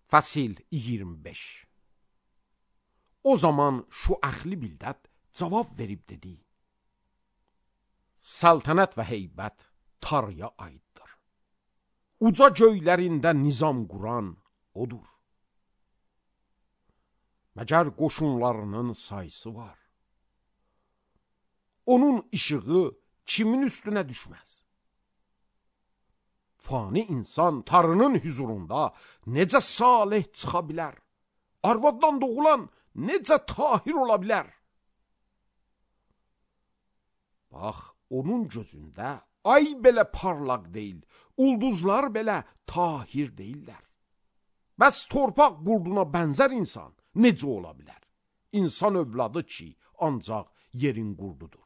Fəsil 25. O zaman şu əxli bildət cavab verib dedi: Saltanət və heybət Tanrıya aiddir. Uca göylərində nizam quran odur. Məgər qoşunlarının sayısı var. Onun işığı kimin üstünə düşməz? Fani insan Tanrının huzurunda necə salih çıxa bilər? Arvaddan doğulan necə tahir ola bilər? Bax, onun gözündə ay belə parlaq deyil, ulduzlar belə tahir deyillər. Bəs torpaq qurduna bənzər insan necə ola bilər? İnsan övladı ki, ancaq yerin qurdudur.